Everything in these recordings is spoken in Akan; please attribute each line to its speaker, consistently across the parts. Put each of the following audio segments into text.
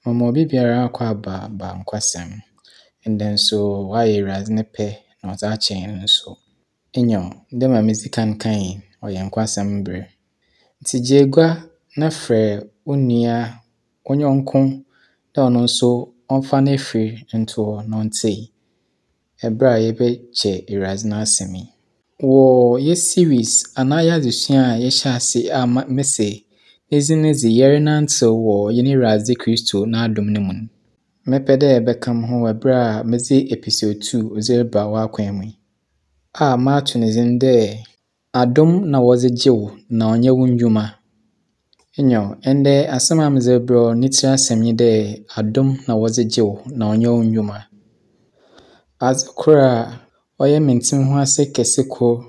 Speaker 1: Mema obi biara akwaaba ba nkwasɛm. Ndɛ nso ɔayɛ Ewuradze ne pɛ na ɔdze akyɛ hɛn nso. Nyew, dɛ ma medzi kan kae, ɔyɛ nkwasɛm ber. Ntsi gye egua na frɛ wo nua, wo nyɛnko dɛ ɔno nso ɔmfa n'efir nto hɔ na ɔntsie ber a yɛbɛkyɛ Ewuradze n'asɛm yi. Wɔ yɛ series anaa yɛ adzesua a yɛhyɛ ase a mese ne dzin dze Yɛrenantsew wɔ Hɛn Ewuradze Kristo n'adom no mu no, mɛpɛ dɛ ebɛka mo ho wɔ ber a medze episode 2 dze reba w'akwan mu yi, a mato ne dzin dɛ Adom na wɔdze gye wo na ɔnnyɛ wo ndwuma. Nyew, ndɛ asɛm a medze rebrɛ wo ne tsir asɛm nye dɛ adom na wɔdze gye wo na ɔnnyɛ wo ndwuma. Adze kor a ɔyɛ menntse ho ase kɛse kor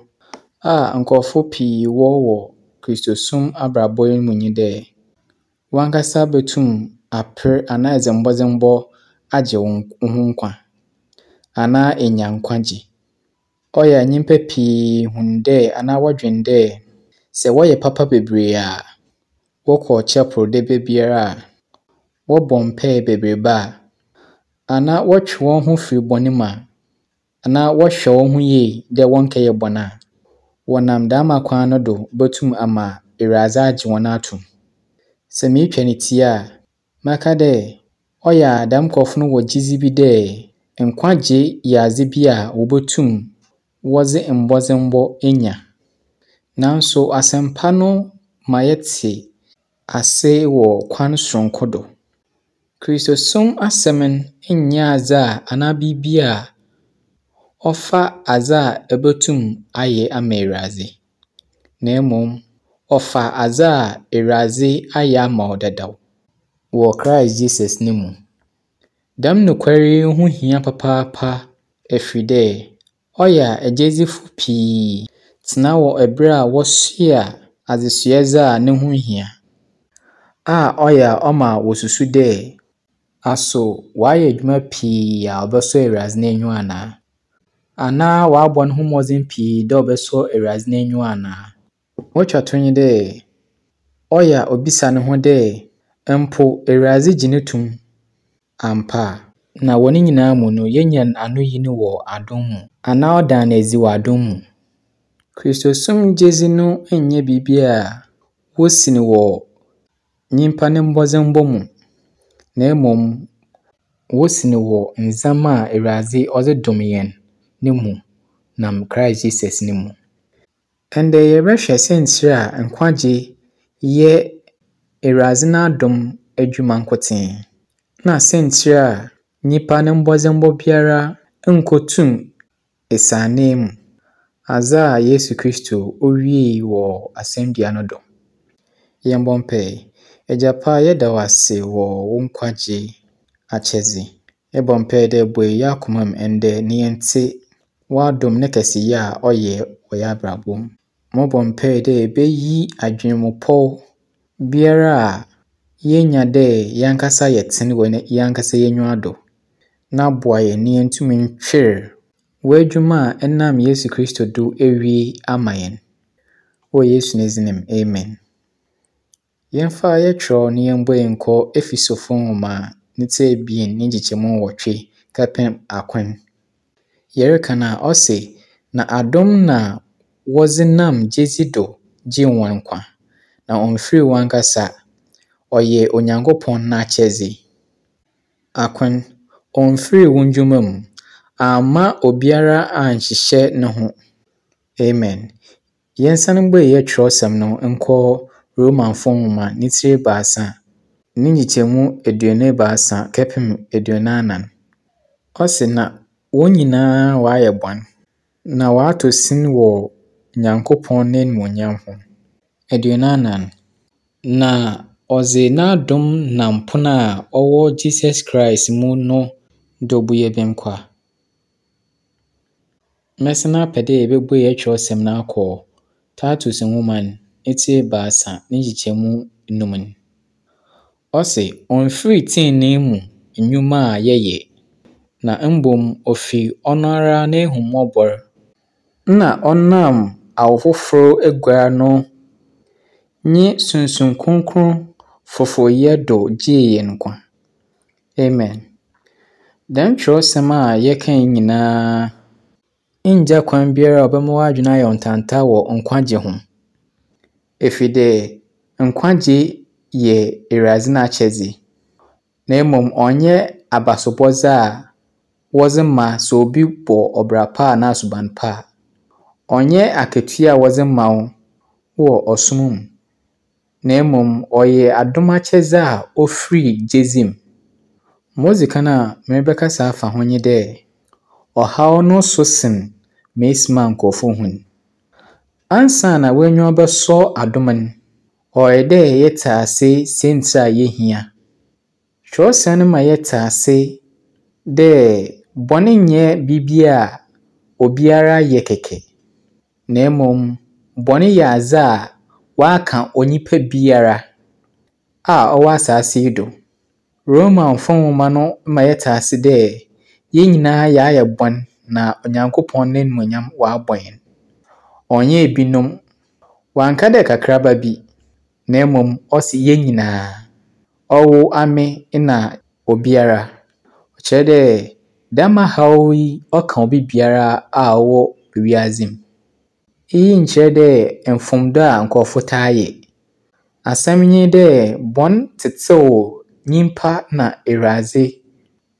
Speaker 1: a nkorɔfo pii wɔ wɔ Kristosom abrabɔ yi mu nye dɛ, wankasa botum aper anaa edze mbɔdzembɔ agye wo ho nkwa anaa enya nkwagye. Ɔyɛ a nyimpa pii hun dɛ anaa wɔdwen dɛ sɛ wɔyɛ papa bebree a, wɔkɔ chapel da biara a, wɔbɔ mpaa bebrebe a, anaa wɔtwe hɔn ho fir bɔn mu a, anaa wɔhwɛ hɔn ho yie dɛ wɔnnkɛyɛ bɔn a, wɔnam dɛm akwan no do botum ama Ewuradze agye hɔn ato mu. Sɛ meretwa ne tsia a, mɛka dɛ ɔyɛ a dɛm nkorɔfo no wɔ gyedzi bi dɛ nkwagye yɛ adze bi a wobotum wɔdze mbɔdzembɔ enya. Nanso asɛmpa no ma yɛtse ase wɔ kwan soronko do. Kristosom asɛm no nnyɛ adze a anaa biribi a ɔfa adze a ebotum ayɛ ama Ewuradze, na mbom ɔfa adze a Ewuradze ayɛ ama wo dadaw wɔ Christ Jesus no mu. Dɛm nokwar yi ho hia papaapa ɛfiri dɛ ɔyɛ a agyedzifo pii tsena wɔ ber a wɔsoa adzesoadze a no ho nnhia, a ɔyɛ a ɔma wosusu dɛ aso ɔayɛ edwuma pii a ɔbɛsɔ Ewuradze n'enyiwa anaa? Anaa ɔabɔ no ho mbɔdzen pii dɛ ɔbɛsɔ Ewuradze n'enyiwa anaa? Otwa to nye dɛ, ɔyɛ a obisa no ho dɛ mpo Ewuradze gye no to mu ampa a. Na wɔ ne nyinaa mu no, yenya anoyi no wɔ adom mu anaa ɔda no edzi wɔ adom mu. Kristosom gyedzi no nnyɛ biribi a wosi no wɔ nyimpa ne mbɔdzembɔ mu, na mbom wosi no wɔ ndzɛmba a Ewuradze ɔdze dom hɛn no mu nam Christ Jesus no mu. Ndɛ yɛbɛhwɛ siantsir a nkwagye yɛ Ewuradze n'adom edwuma nkotsee na siantsir a nyimpa ne mbɔdzembɔ biara nnkotum esian ananmu adze a Yesu Kristo owiei wɔ asɛndua no do. Yɛmbɔ mpae. Egya pa, yɛda wo ase wɔ wo nkwagye akyɛdze. Yɛbɔ mpae dɛ bue hɛn akoma mu ndɛ na yɛntse w'adom ne kɛseyɛ a ɔyɛ wɔ hɛn abrabɔ mu. Mobɔ mpae dɛ ebeyi adwenmupɔw biara a yenya dɛ hɛn ankasa yɛtsen wɔ hɛn ankasa y'enyiwa do na boa hɛn na yɛntum ntwer w'edwuma a ɛnam Yesu Kristo do ewie ama hɛn. Wɔ Yesu ne dzin mu, amen. Yɛmfa yɛtwerɛw na yɛmbue nkɔ Efesofo nwoma ne tsir 2 ne nkyekyɛmu 8 kɛpem 9. Yɛreka no a, ɔse, na adom na wɔdze nam gyedzi do gyee hɔn nkwa, na ɔmmfir hɔnankasa, ɔyɛ Onyankopɔn n'akyɛdze. Akron, ɔmmfir wo ndwuma mu, amma obiara annhyehyɛ no ho. Amen. Yɛnsan mbue yɛn kyerɛwsɛm no nkɔ Romanfo nwoma ne tsir 3 ne nkyekyɛmu 23 kɛpem 24. Ɔse na wɔn nyinaa wɔayɛ bɔn, na wɔatɔ sin wɔ Nyankopɔn n'enyimonyam ho. 44, na ɔdze n'adom nam pon a ɔwɔ Jesus Christ mu no do bu hɛn kwa. Mɛsan apɛ dɛ yɛbɛbue yɛn kyerɛwsɛm no akɔ Titus nwoma no ne tsir 3 ne nkyekyɛmu 5 no. Ɔse, ɔmmfir tsenenee mu nnwuma a yɛyɛ, na mbom ofi ɔno ara n'ehummɔbɔ na ɔnam awo fofor eguar no nye Sunsum Kronkron foforyɛ do gyee hɛn nkwa. Amen. Dɛm kyerɛwsɛm a yɛkae nyina nngya kwan biara a ɔbɛma w'adwen ayɛ wo ntanta wɔ nkwagye ho. Efiri dɛ nkwagye yɛ Ewuradze n'akyɛdze, na mbom ɔnnyɛ abasobɔdze a wɔdze ma sɛ obi bɔ ɔbra pa anaa suban pa a. Ɔnnyɛ akatua a wɔdze ma wo wɔ ɔsom mu, na mbom ɔyɛ adom akyɛdze a ofir gyedzi mu. Ma odzi kan a merebɛkasa afa ho nye dɛ, ɔhaw no so sen ma esi ma nkorɔfo hu no. Ansaana w'enyiwa bɛsɔ adom no, ɔyɛ dɛ yɛtse ase siantsir a yehia. Kyerɛwsɛm no ma yɛtse ase dɛ bɔn nnyɛ biribi a obiara yɛ kɛkɛ, na mbom bɔn yɛ adze a wɔaka onyimpa biara a ɔwɔ asaase yi do. Romanfo nwoma no ma yɛtse ase dɛ yɛn nyinaa yɛayɛ bɔn na Onyankopɔn n'enyimonyam ɔabɔ hɛn. Ɔnnyɛ ebinom. Ɔannka dɛ kakraba bi, na mbom ɔse yɛn nyinaa. Ɔwo, ame na obiara. Ɔkyerɛ dɛ dɛm haw yi ɔka obi biara a ɔwɔ wiadze mu. Iyi nnkyerɛ dɛ mfomdo a nkorɔfo taa yɛ. Asɛm nye dɛ bɔn tsetsew nyimpa na Ewuradze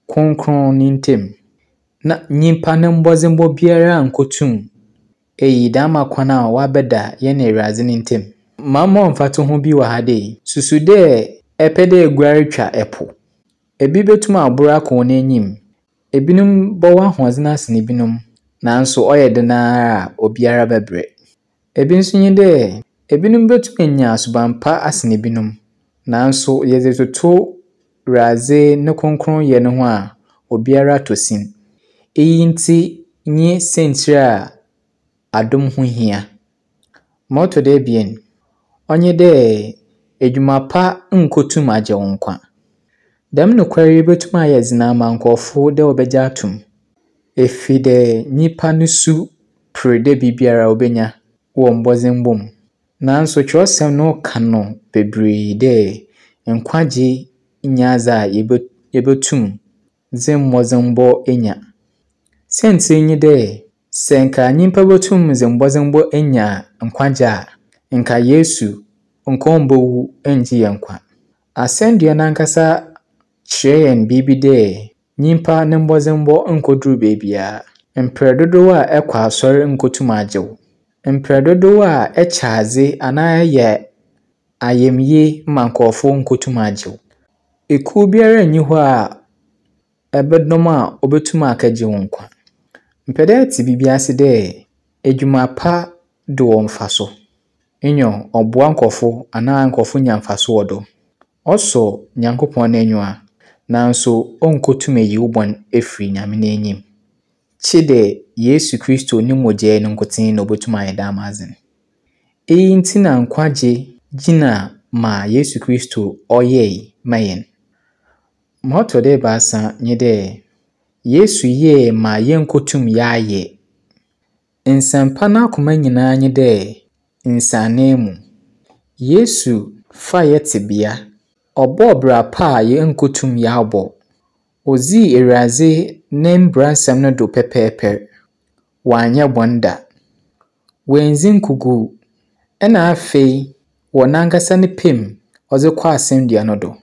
Speaker 1: krɔnkrɔn ne ntamu, na nyimpa no mbɔdzembɔ biara nnkotum eyi dɛm akwan a wɔabɛda yɛne Ewuradze ne ntamu. Ma mma mfatoho bi wɔ ha dei. Susu dɛ epɛ dɛ eguar twa po. Ebi botum abor akɔ hɔn enyim. Ebinom bɔwɔ ahoɔdzen asen binom, nanso ɔyɛ dɛn ara a obiara bɛbrɛ. Ebi nso nye dɛ, ebinom botum enya suban pa asen binom, nanso yɛdze toto Ewuradze no krɔnkrɔnyɛ no ho a, obiara tɔ sin. Iyi ntsi nye siantsir a adom ho hia. Ma ɔtɔ do ebien, ɔnye dɛ edwuma pa nnkotum agye wo nkwa. Dɛm nokwar yi botum ayɛ dzen ama nkorɔfo dɛ wɔbɛgye ato mu, efi dɛ nyimpa no su per dɛ biribiara obenya wɔ mbɔdzembɔ mu. Nanso kyerɛwsɛm no ka no beberee dɛ nkwagye nnyɛ adze a yebotum dze mbɔdzembɔ enya. Siantsir nye dɛ, sɛ nka nyimpa botum dze mbɔdzembɔ enya nkwagye a, nka Yesu nka ommbowu nngye hɛn nkwa. Asɛndua n'ankasa kyerɛ hɛn biribi dɛ nyimpa ne mbɔdzembɔ nnkodur beebiara. Mprɛ dodow a ɛkɔ asɔr nnkotum agye wo. Mprɛ dodow a ɛkyɛ adze anaa ɛyɛ ayamye ma nkorɔfo nnkotum agye wo. Ekuw biara nnyi hɔ a ɛbɛdɔm a obotum akɛgye wo nkwa. Mepɛ dɛ etse biribi ase dɛ edwuma pa do wɔ mfaso. Nyew, ɔboa nkorɔfo anaa nkorɔfo nya mfaso wɔ do. Ɔsɔ Nyankopɔn n'enyiwa, nanso onnkotum eyi wo bɔn efir Nyame n'enyim. Kyedɛ Yesu Kristo no mogyaa no nkotsee na obotum ayɛ dɛm adze no. Iyi ntsi na nkwagye gyina ma Yesu Kristo ɔyɛe ma hɛn. Ma ɔtɔ do ebiasa nye dɛ, Yesu yɛe ma yennkotum yɛayɛ. Nsɛmpa n'akoma nyina nye dɛ nsanananmu. Yesu faa yɛ tsebea, ɔbɔɔ bra pa a yennkotum yɛabɔ. Odzii Ewuradze ne mbransɛm no do pɛpɛɛpɛr. Ɔannyɛ bɔn da. Oenndzi nkugu. Nna afei, wɔ nankasa ne pɛ mu, ɔdze kɔɔ asɛndua no do.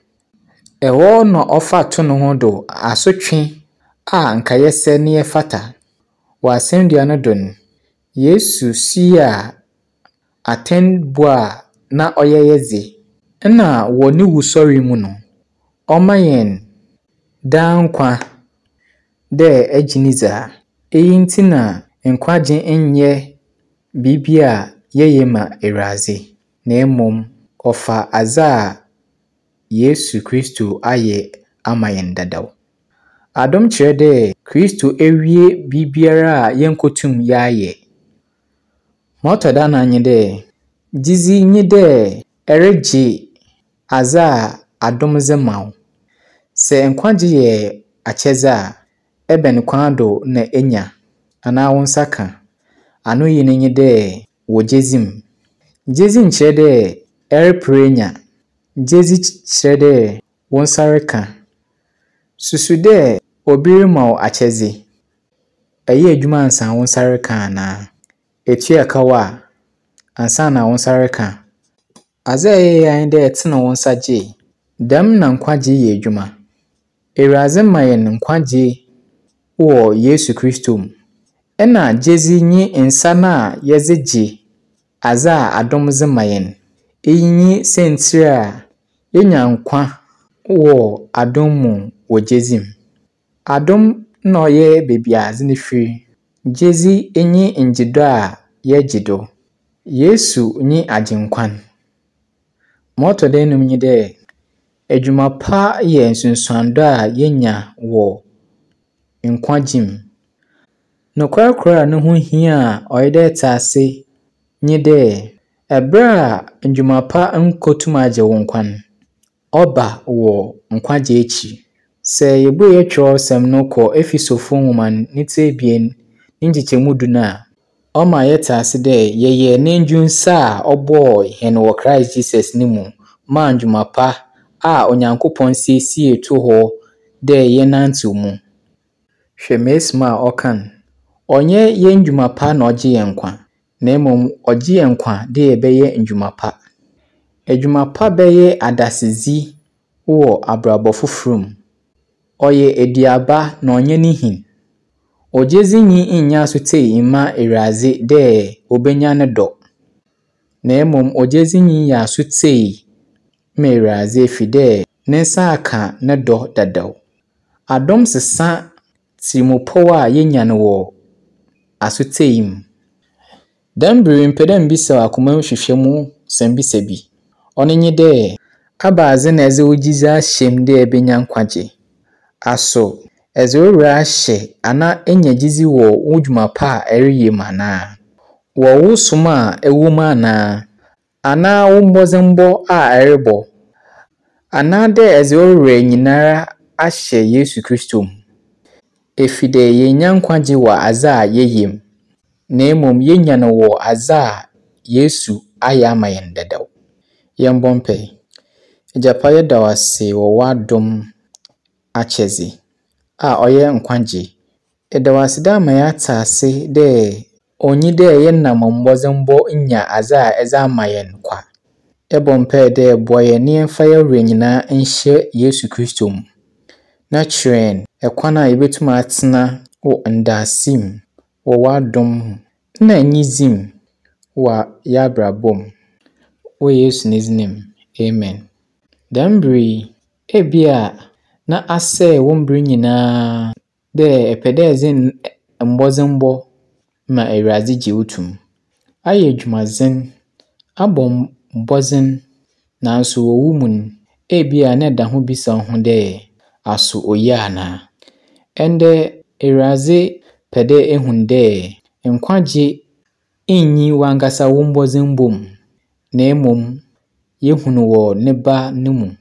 Speaker 1: Ɛhɔ na ɔfa to no ho do asotwe a nka yɛsɛ na yɛfata. Wɔ asɛndua no do no, Yesu suaa atsɛnbu a na ɔyɛ yɛn dze. Nna wɔ no wusoɛr mu no, ɔma hɛn daa nkwa dɛ egye no dzi a. Iyi ntsi na nkwagye nnyɛ biribi a yɛyɛ ma Ewuradze, na mbom ɔfa adze a Yesu Kristo ayɛ ama hɛn dadaw. Adom kyerɛ dɛ Kristo ewie biribiara a yennkotum yɛayɛ. Ma ɔtɔ do anan nye dɛ, gyedzi nye dɛ eregye adze a adom dze ma wo. Sɛ nkwagye yɛ akyɛdze a, ebɛn kwan do na enya anaa wo nsa ka? Anoyi no nye dɛ wɔ gyedzi mu. Gyedzi nnkyerɛ dɛ ereper enya. Gyedzi kyerɛ dɛ wo nsa reka. Susu dɛ obi rema wo akyɛdze. Eyɛ edwuma ansaana wo nsa reka anaa? Etua kaw a ansaana wo nsa reka? Adze a eyɛe ara nye dɛ etsen wo nsa gyee. Dɛm na nkwagye yɛ edwuma. Ewuradze ma hɛn nkwagye wɔ Yesu Kristo mu. Nna gyedzi nye nsa no a yɛdze gye adze a adom dze ma hɛn. Iyi nye siantsir a yenya nkwa wɔ adom mu wɔ gyedzi mu. Adom na ɔyɛ beebi a adze no fir. Gyedzi nye ngyedo a yɛgye do. Yesu nye Agyenkwa no. Ma ɔtɔ do enum nye dɛ, edwuma pa yɛ nsunsuando a yenya wɔ nkwagye mu. Nokwar kor a no ho hia a ɔyɛ dɛ etse ase nye dɛ, ber a ndwuma pa nnkotum agye wo nkwa no, ɔba wɔ nkwagye ekyir. Sɛ yebue hɛn kyerɛwsɛm no kɔ Ephesofo nwoma no ne tsir ebien ne nkyekyɛmu du no a, ɔma yɛtse ase dɛ yɛyɛ n'endwinsa a ɔbɔɔ hɛn wɔ Christ Jesus no mu maa ndwuma pa a Onyankopɔn siesie too hɔ dɛ yɛnnantsew mu. Hwɛ m'esum a ɔka no. Ɔnnyɛ hɛn ndwuma pa na ɔgye hɛn nkwa, na mbom ɔgye hɛn nkwa dɛ yɛbɛyɛ ndwuma pa. Edwuma pa bɛyɛ adasedzi wɔ abrabɔ fofor mu. Ɔyɛ eduaba na ɔnnyɛ ne hin. Ogyedzinyi nnyɛ asotsie mma Ewuradze dɛ obenya no dɔ, na mbom ogyedzinyi yɛ asotsie ma Ewuradze ɛfiri dɛ ne nsa aka no dɔ dadaw. Adom sesa tsirmupɔw a yenya no wɔ asotsie mu. Dɛm ber yi, mepɛ dɛ mibisa wo akoma mu hwehwɛmu sɛmbisa bi. Ɔno nye dɛ, ebɛnadze na edze wo gyedzi ahyɛ mu dɛ ebenya nkwagye? Aso edze wo werɛ ahyɛ anaa enya gyedzi wɔ wo dwuma pa a ereyɛ mu anaa? Wɔ wo som a ewɔ mu anaa? Anaa wo mbɔdzembɔ a erobɔ? Anaadɛ edze wo werɛ nyinara ahyɛ Yesu Kristo mu? Ɛfiri dɛ yennya nkwagye wɔ adze a yɛyɛ mu, na mmom yenya no wɔ adze a Yesu ayɛ ama hɛn dadaw. Yɛmbɔ mpae. Agya pa, yɛda wo ase wɔ w'adom akyɛdze a ɔyɛ nkwagye. Yɛda wo ase dɛ ama yɛatse ase dɛ onnyi dɛ yɛnam mbɔdzembɔ nya adze a edze ama hɛn kwa. Yɛbɔ mpae dɛ boa hɛn na yɛmfa hɛn werɛ nyinaa nhyɛ Yesu Kristo mu, na kyerɛ hɛn kwan a yɛbɛtum atsena wɔ ndaase mu wɔ w'adom mu na enyidzi mu wɔ hɛn abrabɔ mu. Wɔ Yesu ne dzin mu, amen. Dɛm ber yi, ebia na asɛɛ wo mber nyinaa dɛ epɛ dɛ edze mbɔdzembɔ ma Ewuradze gye wo to mu. Ayɛ edwumadzen, abɔ mbɔdzen, naaso wɔ wo mu no, ebia na eda ho bisa wo ho dɛ, aso oye anaa? Ndɛ, Ewuradze pɛ dɛ ehu dɛ nkwagye nnyi wankasa wo mbɔdzembɔ mu, na mmom yehu no wɔ ne Ba no mu.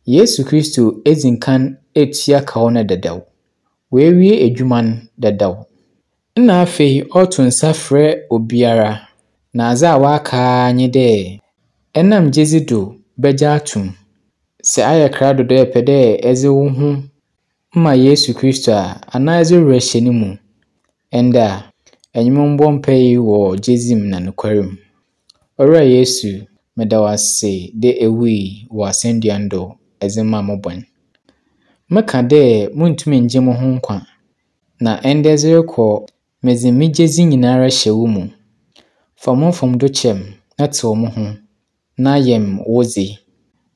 Speaker 1: Yesu Kristo edzi kan etua kaw no dadaw. Oewie edwuma no dadaw. Nna afei ɔroto nsa frɛ obiara, na adze a ɔaka ara nye dɛ enam gyedzi do bɛgye ato mu. Sɛ ayɛ krado dɛ epɛ dɛ edze wo ho ma Yesu Kristo a, anaa edze wo werɛ hyɛ no mu ndɛ a, enye me mbɔ mpae yi wɔ gyedzi mu na nokwar mu. Owura Yesu, meda wo ase dɛ ewui wɔ asɛndua no do edze maa mo bɔn. Meka dɛ munntum nngye mo ho nkwa, na ndɛ dze rokɔ, medze me gyedzi nyinara hyɛ wo mu. Fa mo mfomdo kyɛ me na tsew mo ho, na yɛ me wo dze.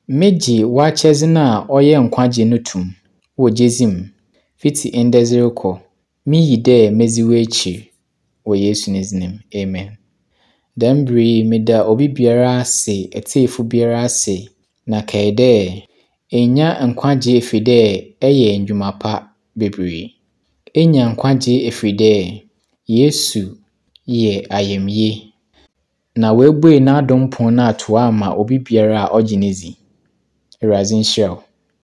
Speaker 1: Megye w'akyɛdze no a ɔyɛ nkwagye no to mu wɔ gyedzi mu. Fitsi ndɛ dze rokɔ, miyi dɛ medzi w'ekyir wɔ Yesu ne dzin mu, amen. Dɛm ber yi, meda obi biara ase, etsiefo biara ase, na kae dɛ, ennya nkwagye ɛfiri dɛ ɛyɛ ndwuma pa bebree. Enya nkwagye ɛfiri dɛ Yesu yɛ ayamye, na oebue n'adom pon no ato hɔ ama obi biara a ɔgye no dzi. Ewuradze nhyira wo.